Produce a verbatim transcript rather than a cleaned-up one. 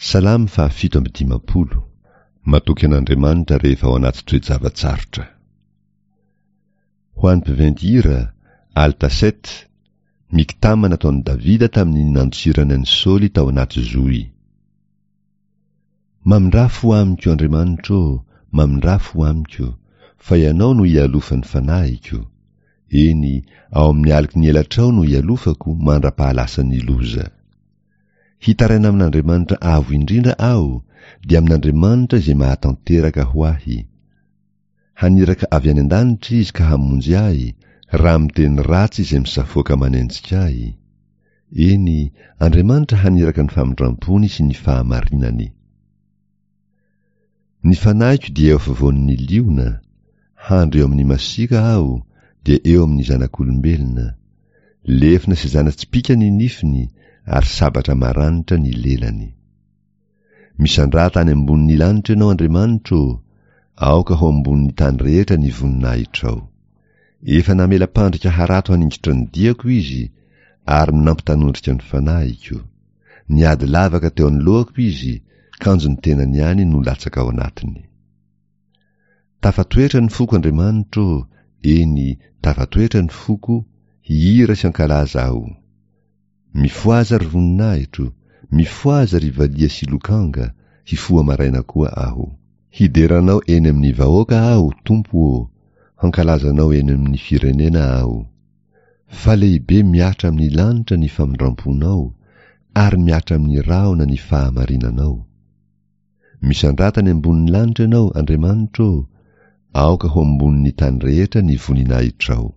Salamo fahafito amby dimampolo. Matoky an'Andriamanitra rehefa ao anaty toe-java-tsarotra. Ho an'ny mpiventy hira, Altaset, Miktama nataon'i Davida tamin'ny nandosirany an'i Saoly tao anaty zohy. Mamindrà fo amiko, Andriamanitro ô, mamindrà fo amiko, fa Ianao no ialofan'ny fanahiko. Eny, ao amin'ny aloky ny elatrao no ialofako mandra-pahalasan'ny loza. Hitaraina amin'Andriamanitra Avo Indrindra aho, dia amin'Andriamanitra izay mahatanteraka ho ahy. Haniraka avy any an-danitra Izy ka hamonjy ahy, raha miteny ratsy izay misafoaka manenjika ahy. Eny, Andriamanitra haniraka ny famindrampony sy ny fahamarinany. Ny fanahiko dia eo afovoan'ny liona, handry eo amin'ny masiaka aho, dia eo amin'ny zanak'olombelona. Lefona sy zana-tsipìka ny nifiny, ary sabatra maranitra ny lelany. Misandrata any ambonin'ny lanitra ianao, Andriamanitro ô, aoka ho ambonin'ny tany rehetra ny voninahitrao. Efa namela mpandrika harato haningotra ny diako izy, ary nampitanondrika ny fanahiko. Niady lavaka teo anoloako izy, kanjo ny tenany ihany no latsaka ao anatiny. Tafatoetra ny foko, Andriamanitro ô, eny, tafatoetra ny foko, hihira sy hankalaza aho. Mifohaza ry voninahitro, mifohaza ry valiha sy lokanga, hifoha maraina koa aho. Hidera Anao eny amin'ny vahoaka aho, Tompo ô, hankalaza Anao eny amin'ny firenena aho. Fa lehibe mihatra amin'ny lanitra ny famindram-ponao, ary mihatra amin'ny rahona ny fahamarinanao. Misandrata any ambonin'ny lanitra Ianao, Andriamanitro ô, aoka ho ambonin'ny tany rehetra ny voninahitrao.